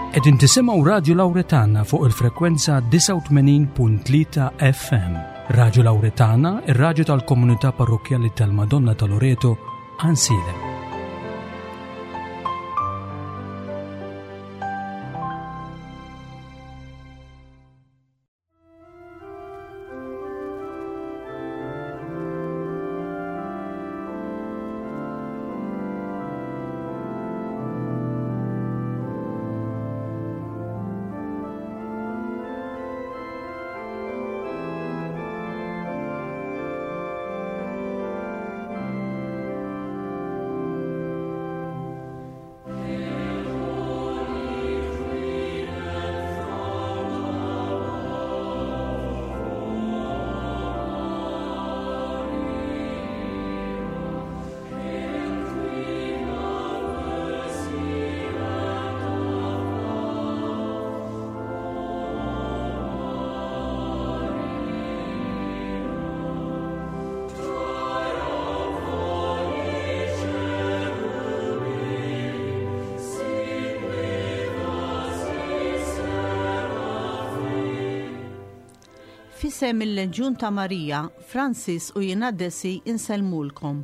Qegħdin tisimgħu Radju Lawretana fuq il-frekwenza 89.3 FM. Radju Lawretana, ir-radju tal-komunità parrokkjali tal-Madonna ta' Loreto, Ansilem. F'isem il-Leġjun ta' Marija, Francis u jiena Desi insellmulkom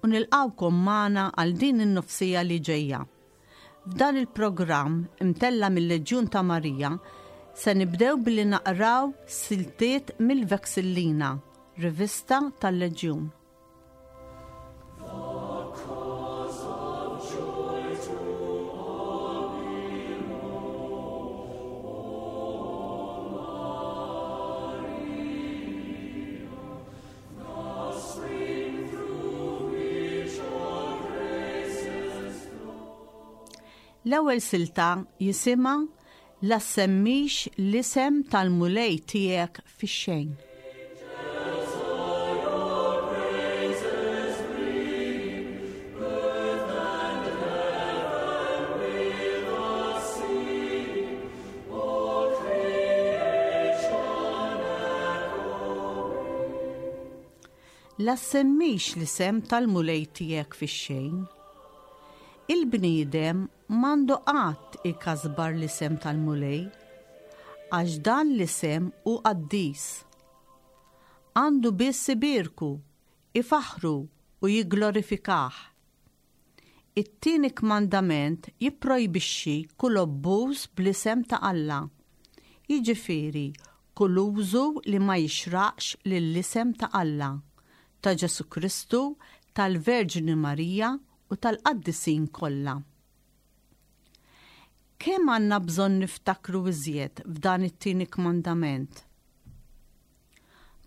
u nilqgħukom magħna għal din in-nofsija li ġejja. F'dan il-programm imtella' mil-Leġjun ta' Marija se nibdew billi naqraw siltiet mill-Vexillina, rivista tal-Leġjun. L-ewwel silta jisimha La ssemmix l-isem tal-Mulej tiegħek fix-xejn. La ssemmix l-isem tal-Mulej tiegħek fix-xejn. Il-bniedem m'għandu qatt ikasbar l-isem tal-Mulej, għax dan l-isem hu qaddis. Għandu biss ibierku, ifaħħru u jigglorifikah. It-tieni kmandament jipprojbixxi kull abbuż bl-isem ta' Alla, jiġifieri kull użu li ma jixraqx lill-isem ta' Alla, ta' Ġesù Kristu, tal-Verġni Marija u tal-qaddisin kollha. Kemm għandna bżonn niftakru iżjed f'dan it-tieni kmandament?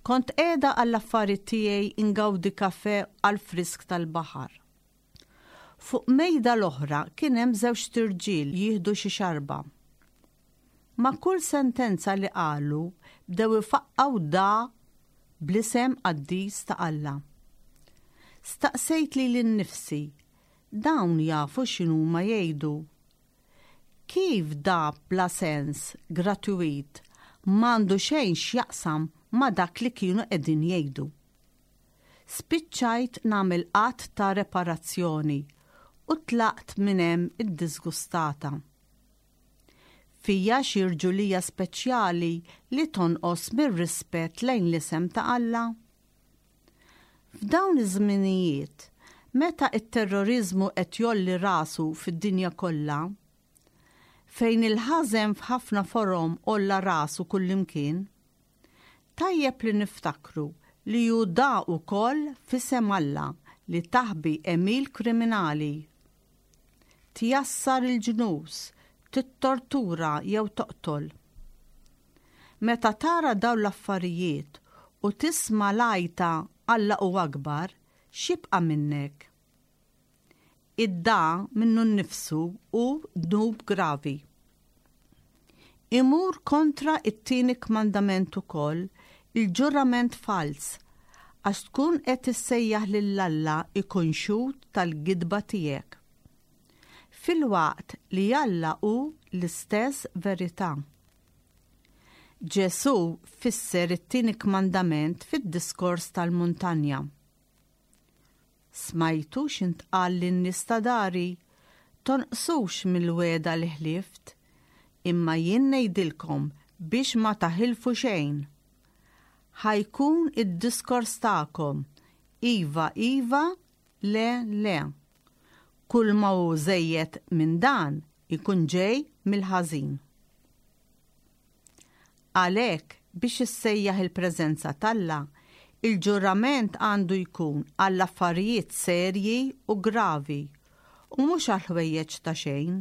Kont qiegħda għall-affari tiegħi ingawdi kafè għall-frisk tal-baħar. Fuq mejda l-oħra kien hemm żewġt irġiel jieħdu xi xarba. Ma' kull sentenza li qalu bdew ifaqqgħu da bl-isem qaddis ta' Alla. Staqsejt lili nnifsi, dawn jafu x'inhuma jgħidu? Kif da bla sens, gratuit, m'għandu xejn x'jaqsam ma' dak li kienu qegħdin jgħidu? Spiċċajt nagħmel att ta' reparazzjoni u tlaqt minn hemm iddiżgustata. Fija xi rġulija speċjali li tonqos mir-rispett lejn l-isem ta' Alla? F'dawn iż-żminijiet, meta t-terroriżmu qed jgħolli rasu fid-dinja kollha, fejn il-ħażen f'ħafna forom għolla rasu kullimkien, tajjeb li niftakru li hu da wkoll f'isem Alla li taħbi għemil kriminali. Tjassar il-ġnus, tittortura jew toqtol. Meta tara dawn l-affarijiet u tisma' l-għajta Alla hu akbar, x'jibqa' minnek? Id-dagħa minnu nnifsu hu dnub gravi. Imur kontra t-tieni kmandament ukoll il-ġurament falz għax tkun qed issejjaħ lil Alla jkun xhud tal-gidba tiegħek. Filwaqt li Alla hu l-istess verità. Ġesù fisser it-tieni kmandament fid-diskors tal-muntanja. Smajtu x'intqal lin-nies ta' dari, Tonqsux mill-wegħda li ħlift. Imma jien ngħidilkom biex ma taħilfu xejn. Ħa jkun id-diskors tagħkom, iva, iva, le, le. Kull ma hu żejjed minn dan ikun ġej mill-ħażin. Għalhekk, biex issejjaħ il-preżenza t'Alla, il-ġurament għandu jkun għall-affarijiet serji u gravi u mhux għall-ħwejjeġ ta' xejn.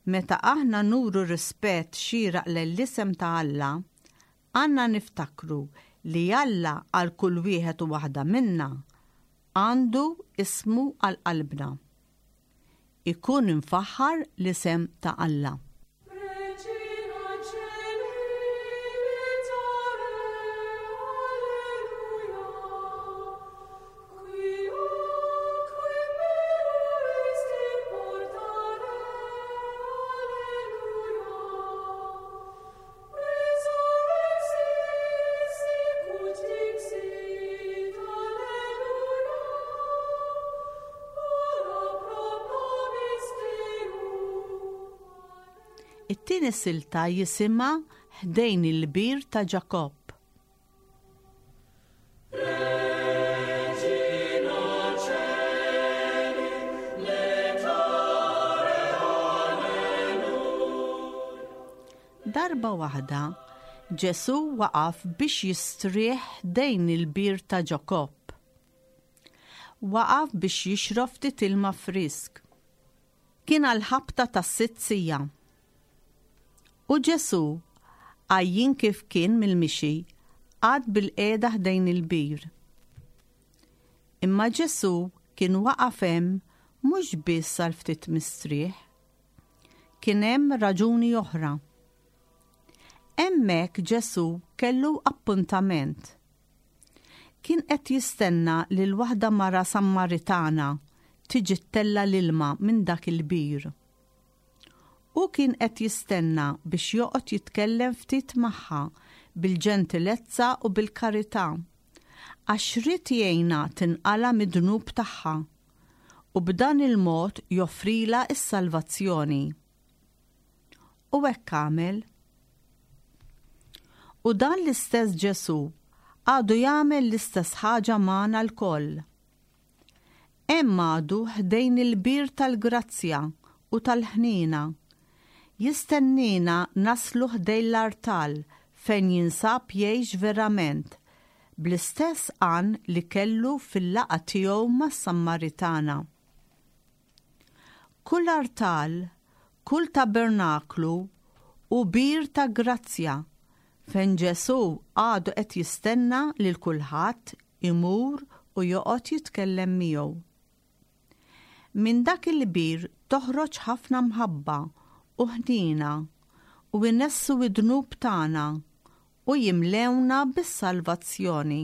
Meta aħna nuru rispett xieraq lejn l-isem ta' Alla, għandna niftakru li Alla għal kull wieħed u waħda minna għandu ismu għal qalbna. Ikun imfaħħar l-isem ta' Alla. It-tieni silta jisimha Ħdejn il-Bir ta' Ġakobb. Darba waħda, Ġesù waqaf biex jistrieħ ħdejn il-bir ta' Ġakobb. Waqaf biex jixrob ftit ilma frisk. Kien għall-ħabta tas-sitt siegħa. U Ġesù, għajjien kif kien mill-mixi, qagħad bilqiegħda ħdejn il-bir. Imma Ġesù kien waqaf hemm mhux biss għal ftit mistrieħ. Kien hemm raġuni oħra. Hemmhekk Ġesù kellu appuntament. Kien qed jistenna lil waħda mara Sammaritana tiġi ttella' l-ilma minn dak il-bir. Hu kien qed jistenna biex joqgħod jitkellem ftit magħha bil-ġentilezza u bil-karità, għax ried jgħinha tinqala' mid-dnub tagħha u b'dan il-mod joffrilha s-salvazzjoni. U hekk għamel. U dan l-istess Ġesù għadu jagħmel l-istess ħaġa magħna lkoll. Hemm għadu ħdejn il-bir tal-grazzja u tal-ħniena. Jistenniena naslu ħdejn l-artal fejn jinsab jgħix verament, bl-istess għan li kellu fil-laqgħa tiegħu mas-Sammaritana. Kull artal, kull tabernaklu hu bir ta' grazzja fejn Ġesù għadu qed jistenna lil kulħadd imur u joqgħod jitkellem miegħu. Minn dak il-bir toħroġ ħafna mħabba u ħniena u jnessu d-dnub tagħna u jimlewna bis-salvazzjoni.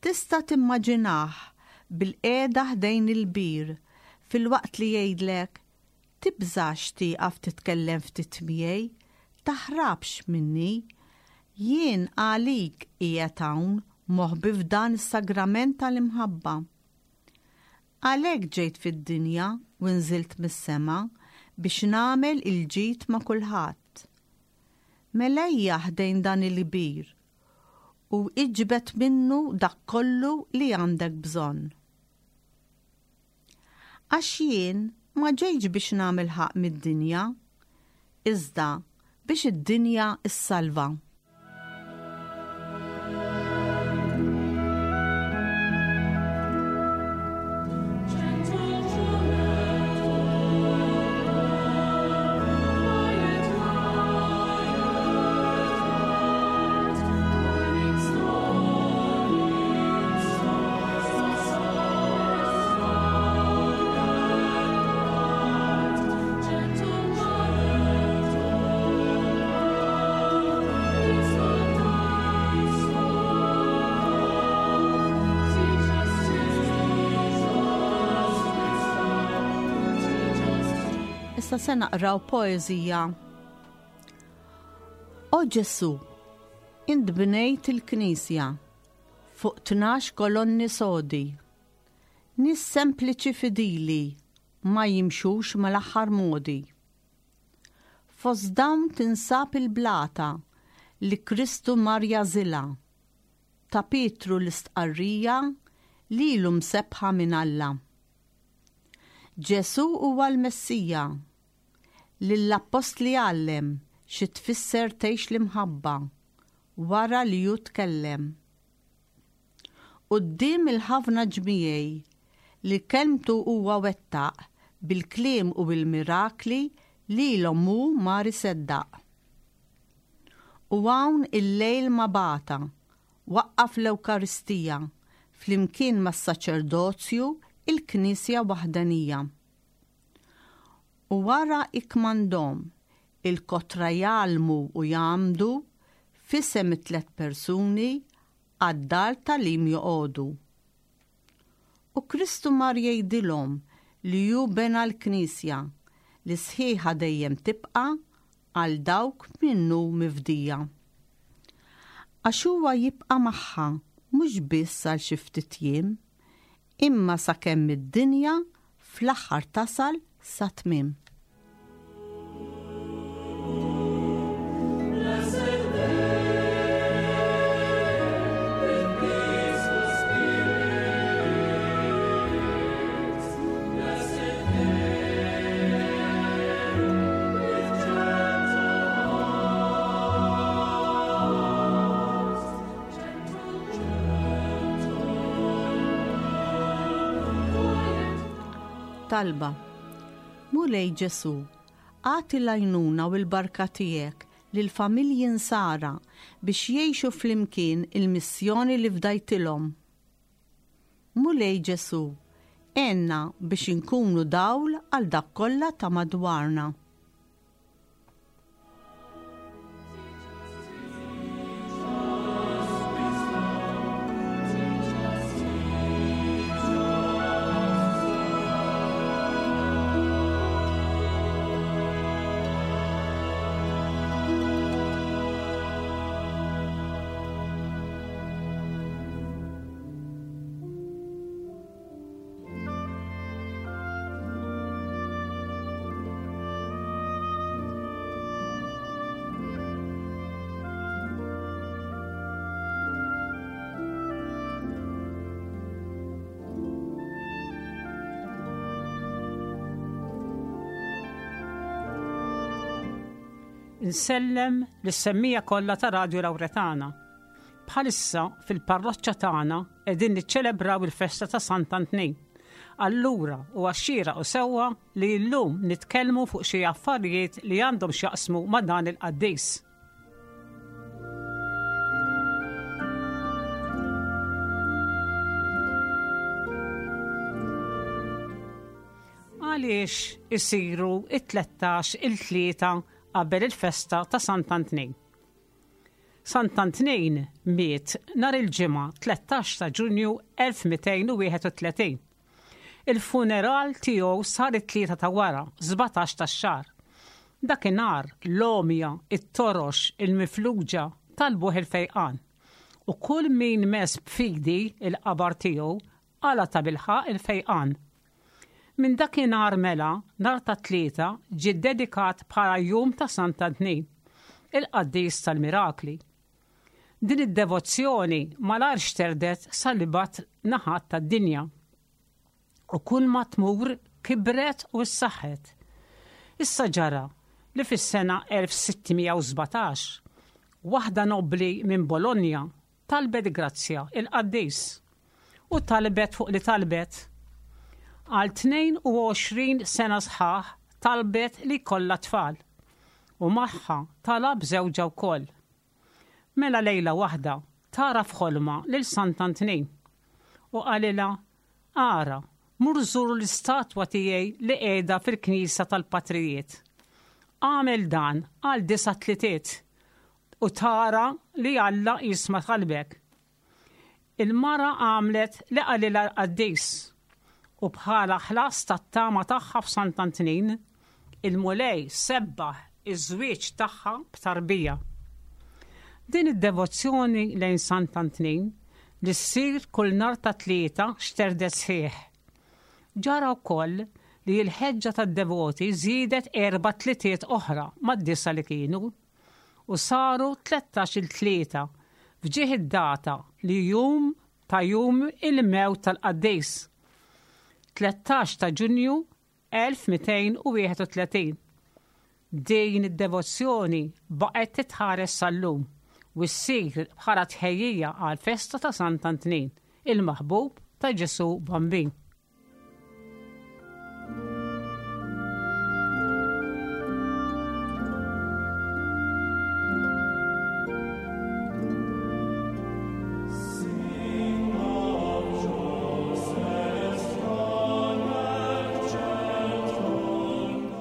Tista' timmaġinah bilqiegħda ħdejn il-bir filwaqt li jgħidlek, Tibżax tieqaf titkellem ftit miegħi, taħrabx minni. Jien għalik qiegħed hawn moħbi f'dan is-sagrament tal-imħabba. Għalhekk ġejt fid-dinja u nżilt mis-sema biex nagħmel il-ġid ma' kulħadd. Mela ejja ħdejn dan il-kbir u iġbed minnu dak kollu li għandek bżonn. Għax jien ma ġejtx biex nagħmel ħaqq mid-dinja, iżda biex id-dinja ssalva. Issa se naqraw poeżija. O Ġesù, int bnejt il-Knisja fuq 12 kolonni sodi. Nies sempliċi fidili ma jimxux mal-aħħar modi. Fost dawn tinsab il-blata li Kristu mar jagħżilha. Ta' Pietru l-istqarrija lilu msebbħa minn Alla. Ġesù huwa l-Messija. Lill-appostli għallem xi tfisser tgħix l-imħabba wara li hu tkellem. Quddiem il-ħafna ġmiegħi li kelmtu huwa wettaq bil-kliem u bil-mirakli lilhom hu mar iseddaq. U hawn il-lejl ma bata, waqqaf l-Ewkaristija, flimkien mas-saċerdozju, il-Knisja waħdanija. U wara ikkmandhom il-kotra jgħallmu u jgħammdu f'isem it-tlett persuni għad-dar tagħlim joqogħdu. U Kristu mar jgħidilhom li hu bena l-Knisja li sħiħa dejjem tibqa' għal dawk minnu mifdija. Għax huwa jibqa' magħha mhux biss għal xi ftit jiem, imma sakemm id-dinja fl-aħħar tasal sat-tmiem. Talba, Mulej Ġesù, agħti l-għajnuna u l-barka tiegħek lill-familji Nsara biex jgħixu flimkien il-missjoni li fdajtilhom. Mulej Ġesù, għenna biex inkunu dawl għal dak kollha ta' madwarna. Insellem lis-semmija kollha ta' Radju Lawretana. Bħalissa fil-parroċċa tagħna qegħdin niċċelebraw il-festa ta' Sant'Antnin. Allura huwa xieraq u sewwa li llum nitkellmu fuq xi affarijiet li għandhom x'jaqsmu ma' dan il-qaddis. Għaliex isiru it-13 il-tlieta qabel il-festa ta' Sant'Antnin? Sant'Antnin miet nhar il-Ġimgħa 13 ta' Ġunju 1231. Il-funeral tiegħu sar it-Tlieta ta' wara, 17 tax-xahar. Dakinhar, l-għomja, it-torox, il-mifluġa talbuh il-fejqan. U kull min mess b'fidi l-qabar tiegħu qala' tabilħaqq il-fejqan. Minn dakinhar mela, nhar ta' Tlieta ġie ddedikat bħala Jum ta' Sant'Antnin, il-qaddis tal-mirakli. Din id-devozzjoni malajr xterdet sal-ibgħad naħat tad-dinja. U kulma tmur kibret u ssaħħet. Issa ġara li fis-sena 1617, waħda nobbli minn Bologna Talbet grazzja il-qaddis. U talbet fuq li talbet. Għal 22 sena sħaħ talbet li jkollha tfal. U magħha talab żewġha wkoll. Mela lejla waħda tara f'ħolma lil Sant'Antnin. U qalilha, Ara, mur żur l-istatwa tiegħi li qiegħda fil-knisja tal-patrijiet. Agħmel dan għal disa' tlitiet u tara li Alla jisma' talbek. Il-mara għamlet li qalilha l-qaddis, u bħala ħlas tat-tama tagħha f'Sant'Antnin, il-Mulej sebbaħ iż-żwieġ tagħha b'tarbija. Din id-devozzjoni lejn Sant'Antnin li ssir kull nhar ta' Tlieta xterdet sħiħ. Ġara wkoll. li l-ħeġġa tad-devoti żiedet erba' tlitiet oħra mad-disa' li kienu u saru 13-il tlieta f'ġieħ id-data li jum ta' jum il-mewt tal-qaddis. 13 ta' Ġunju 1231. Din id-devozzjoni baqgħet titħares sal-lum u ssir bħala tħejjija għall-festa ta' Sant'Antnin, il-maħbub ta' Ġesù Bambin.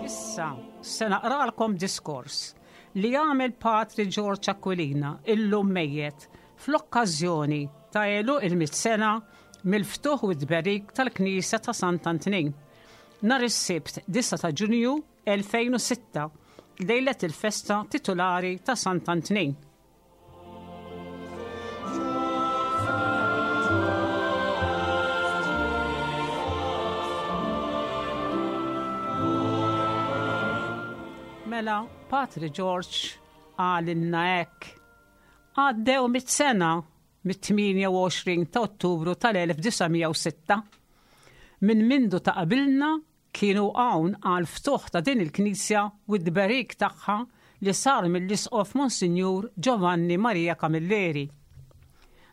Issa se naqralkom diskors li għamel Patri George Aquilina illum mejjet fl-okkażjoni ta' għeluq il-mitt sena mill-ftuħ u t-tberik tal-Knisja ta' Sant'Antnin nhar is-Sibt 9 ta' Ġunju 2006, lejlet il-festa titulari ta' Sant'Antnin. Mela, Patri George qalilna hekk. Għaddew mit sena mit-28 ta' Ottubru tal-1906. Minn mindu ta' qabilna kienu hawn għall-ftuħ ta' din il-knisja u t-tberik tagħha li sar mill-Isqof Monsinjur Giovanni Maria Camilleri.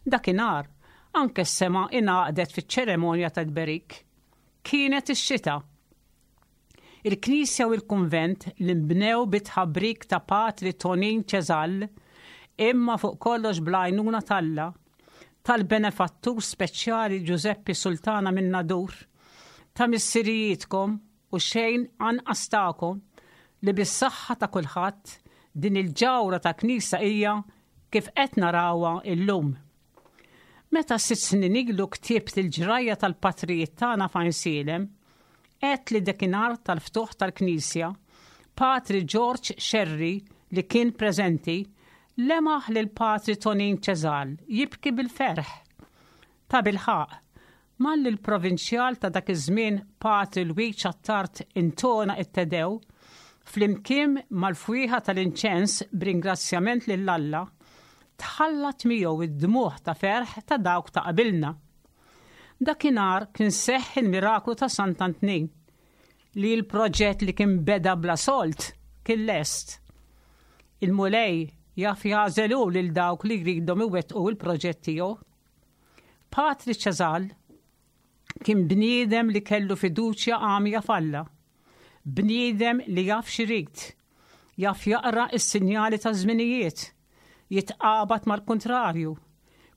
Dakinhar, anke s-sema ingħaqdet fiċ-ċeremonja tat-tberik. Kienet ix-xita. Il-knisja u l-kunvent li nbnew bit-tħabrik ta' Patri Tonin Cesal, imma fuq kollox bl-għajnuna t'Alla, tal-benefattur speċjali Ġużeppi Sultana min-Nadur, ta' missirijietkom u xejn anqas tagħkom li bis-saħħa ta' kulħadd din il-ġawhra ta' knisja hija kif qed narawha illum. Meta sitt snin ilu ktibt il-ġrajja tal-patrijiet tagħna f'Għajnsielem, għedt li dakinhar tal-ftuħ tal-knisja, Patri George Scerri li kien preżenti, lemaħ lil Patri Tonin Cesal jibki bil-ferħ. Tabilħaqq, malli l-Provinċjal ta' dak iż-żmien Patri Lwiġ Attard intona t-Te Deu, flimkien mal-fwieħa tal-inċens b'ringrazzjament lil Alla, tħallat miegħu d-dmugħ ta' ferħ ta' dawk ta' qabilna. Dakinhar kien seħħ il-miraklu ta' Sant'Antnin, li l-proġett li kien beda bla sold kien lest. Il-Mulej jaf jagħżel hu lil dawk li jridhom iwettqu l-proġett tiegħu. Patri Cesal kien bniedem li kellu fiduċja għamja f'Alla. Bniedem li jaf x'irid, jaf jaqra s-sinjali taż-żminijiet, jitqabad mal-kuntrarju,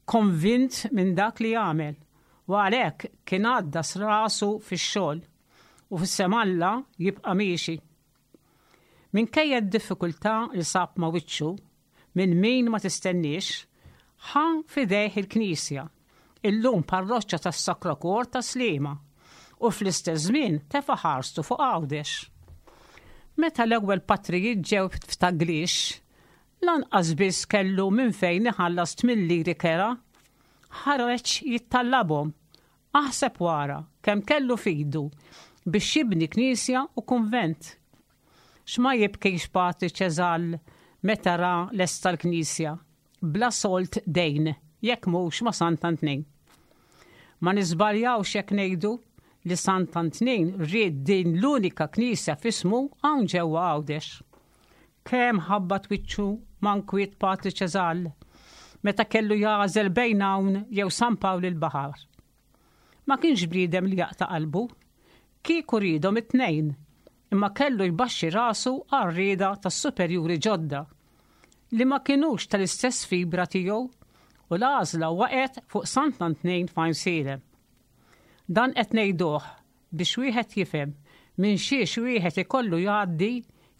konvint minn dak li jagħmel u għalhekk kien għaddas rasu fix-xogħol u f'isem Alla jibqa' miexi. Minkejja d-diffikultà li sab ma' wiċċu, minn min ma tistenniex, ħa f'idejh il-knisja, illum parroċċa tas-Sacro Cuor ta' Sliema, u fl-istess żmien tefa' ħarstu fuq Għawdex. Meta l-ewwel patrijiet ġew f'Taglix, lanqas biss kellu minn fejn iħallas tmien liri kera. Ħareġ jittallabhom, aħseb wara kemm kellu f'idu biex jibni knisja u kunvent. X'ma jibkix Patri Cesal meta ra lesta l-knisja, bla sold dejn, jekk mhux ma' Sant'Antnin. Ma niżbaljawx jekk ngħidu li Sant'Antnin ried din l-unika knisja f'ismu hawn ġewwa Għawdex. Kemm ħabbat wiċċu ma' nkwiet Patri Cesal meta kellu jagħżel bejn hawn jew San Pawl il-Baħar. Ma kienx bniedem li jaqta' qalbu. Kieku riedhom it-tnejn, imma kellu jbaxxi rasu għar-rieda tas-superjuri ġodda, li ma kinux tal-istess fibra tiegħu, u l-għażla waqgħet fuq Sant'Antnin f'Għajnsielem. Dan qed ngħiduh biex wieħed jifhem minn xiex wieħed ikollu jgħaddi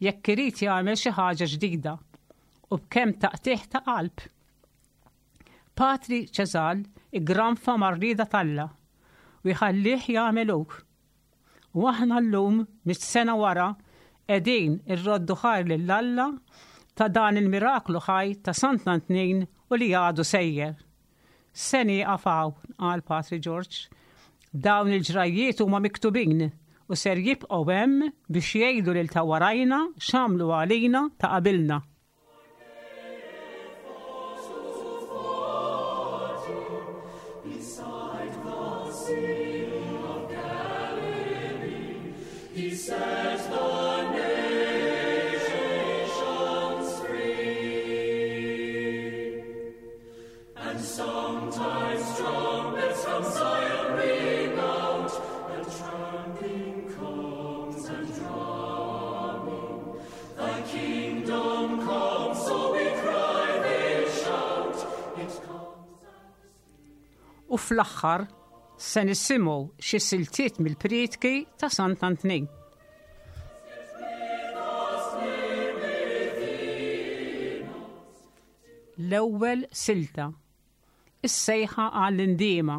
jekk irid jagħmel xi ħaġa ġdida, u b'kemm taqtigħ ta' qalb. Patri Cesal iggranfa mar-rieda t'Alla u jħallih jagħmel hu. U aħna llum, mit sena wara, qegħdin irroddu ħajr lil Alla ta' dan il-miraklu ħaj ta' Sant'Antnin u li għadu sejjer. Se nieqaf hawn, qal Patri Ġorġ. Dawn il-ġrajjiet huma miktubin. u ser jibqgħu hemm biex jgħidu lil ta' warajna x'għamlu għalina ta' qabilna. U fl-aħħar se nisimgħu xi siltiet mill-prietki ta' Sant'Antnin. L-ewwel silta. Is-sejħa għall-indiema.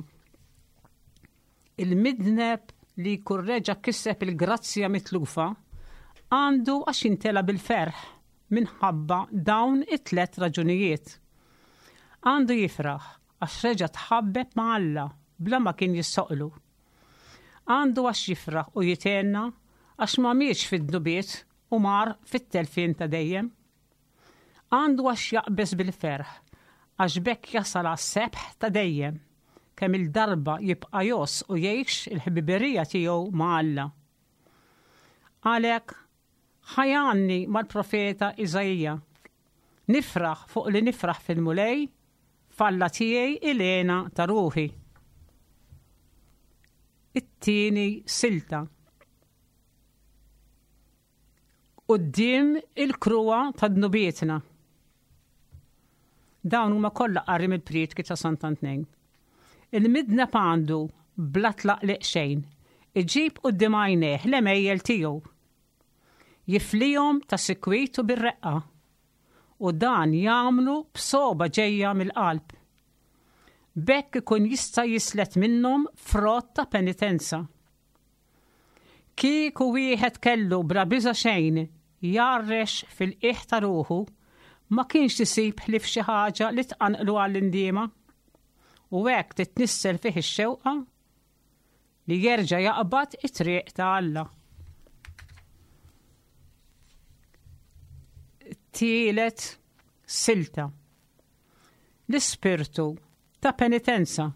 Il-midneb li jkun reġa' kiseb il-grazzja mitlufa għandu għax jintela bil-ferħ minħabba dawn it-tlet raġunijiet. Għandu jifraħ għax reġa' tħabbeb ma' Alla bla ma kien jissoqlu. Għandu għax jifraħ u jithenna għax ma mietx fid-dnubiet u mar fit-telfien ta' dejjem. Għandu għax jaqbeż bil-ferħ, għax b'hekk jasal għas-sebħ ta' dejjem, kemm-il darba jibqa' jgħożż u jgħix il-ħbiberija tiegħu ma' Alla. Għalhekk, ħa jgħanni mal-profeta Iżaija, Nifraħ fuq li nifraħ fil-Mulej, f'Alla tiegħi il-hena ta' ruħi. It-tieni silta. Quddiem il-kruha ta' dnubietna. Dawn huma kollha qari mill-prietki ta' Sant'Antnin. Il-midneb għandu, bla tlaqliq xejn, iġib quddiem għajnejh l-għemejjel tiegħu. Jiflihom ta' sikwit u bir-reqqa, u dan jagħmlu b'sogħba ġejja mill-qalb. B'hekk ikun jista' jislet minnhom frott ta' penitenza. Kieku wieħed kellu bla biża' xejn jgħarrex fil-qiegħ ta' ruħu, ma kienx isib ħlief xi ħaġa li tqanqlu għall-indiema. U hekk titnissel fih ix-xewqa li jerġa' jaqbad it-triq ta' Alla. Tielet silta. L-ispirtu ta' penitenza.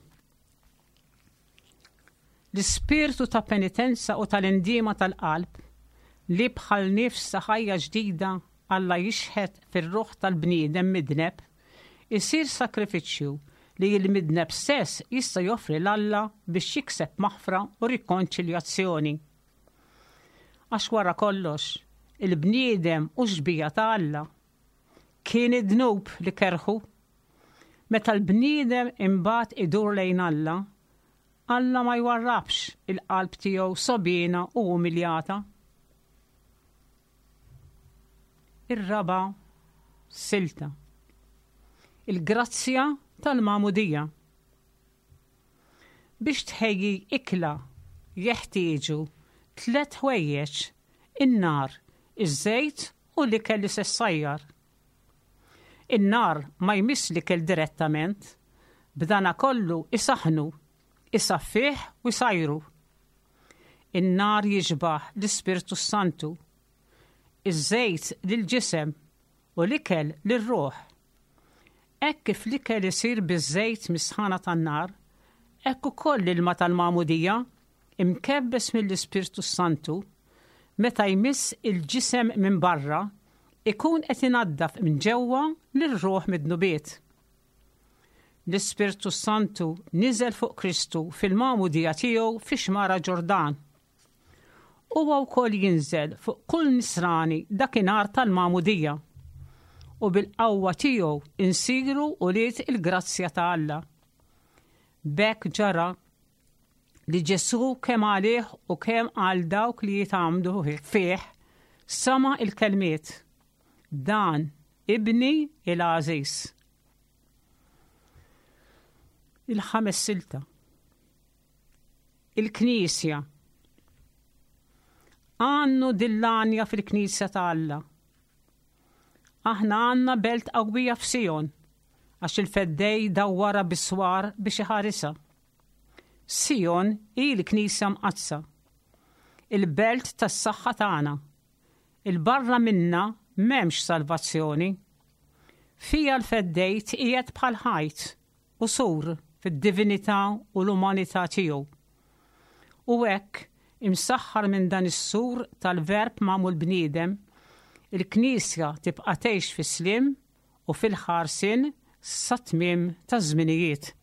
L-ispirtu ta' penitenza u tal-indiema tal-qalb, li bħal nifs ta' ħajja ġdida Alla jixħet fir-ruħ tal-bniedem midneb, isir sagrifiċċju li l-midneb stess jista' joffri 'l Alla biex jikseb maħfra u rikonċiljazzjoni. Għax wara kollox, il-bniedem hu xbieha ta' Alla. Kien id-dnub li kerrħu. Meta l-bniedem imbagħad idur lejn Alla, Alla ma jwarrabx il-qalb tiegħu sogħbiena u umiljata. Ir-raba' silta. Il-grazzja tal-magħmudija. Biex tħejji ikla jeħtieġu tlett ħwejjeġ, in-nar, iż-żejt u l-ikel li se ssajjar. In-nar ma jmiss l-ikel direttament, b'danakollu isaħħnu, isaffih u jsajru. In-nar jixbah l-Ispirtu s-Santu, iż-żejt lill-ġisem u l-ikel lir-ruħ. Hekk kif l-ikel isir biż-żejt mis-sħana tan-nar, hekk ukoll l-ilma tal-magħmudija, imkebbes mill-Ispirtu s-Santu, meta jmiss il-ġisem minn barra, ikun qed inaddaf minn ġewwa lir-ruħ mid-dnubiet. L-Ispirtu s-Santu niżel fuq Kristu fil-magħmudija tiegħu fix-xmara Ġordan. Huwa wkoll jinżel fuq kull nisrani dakinhar tal-magħmudija u bil-qawwa tiegħu insiru ulied il-grazzja ta' Alla. B'hekk ġara li Ġesù kemm għalih u kemm għal dawk li jitgħammdu fih sama' il-kelmiet, Dan ibni il-għażiż. Il-ħames silta. Il-Knisja. Għannu dil-għanja fil-Knisja ta' Alla. Aħna għandna belt qawwija f'Sijon, għax il-Feddej dawwarha bis-swar biex iħarisha. Sijon hi l-Knisja Mqaddsa. il-belt tas-saħħa tagħna. 'Il barra minnha m'hemmx salvazzjoni. Fiha l-Feddej tqiegħed bħal ħajt u sur fid-divinità u l-umanità tiegħu. U hekk, imsaħħar minn dan is-sur tal-Verb magħmul bniedem, il-Knisja tibqa' tgħix fis-sliem u fil-ħarsien sat-tmiem taż-żminijiet.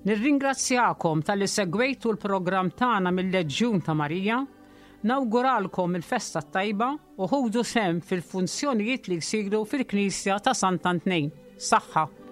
Nirringrazzjakom talli segwejtu l-programm tagħna mill-Leġjun ta' Marija, nawguralkom il-festa t-tajba u ħudu sehem fil-funzjonijiet li jsiru fil-Knisja ta' Sant'Antnin. Saħħa!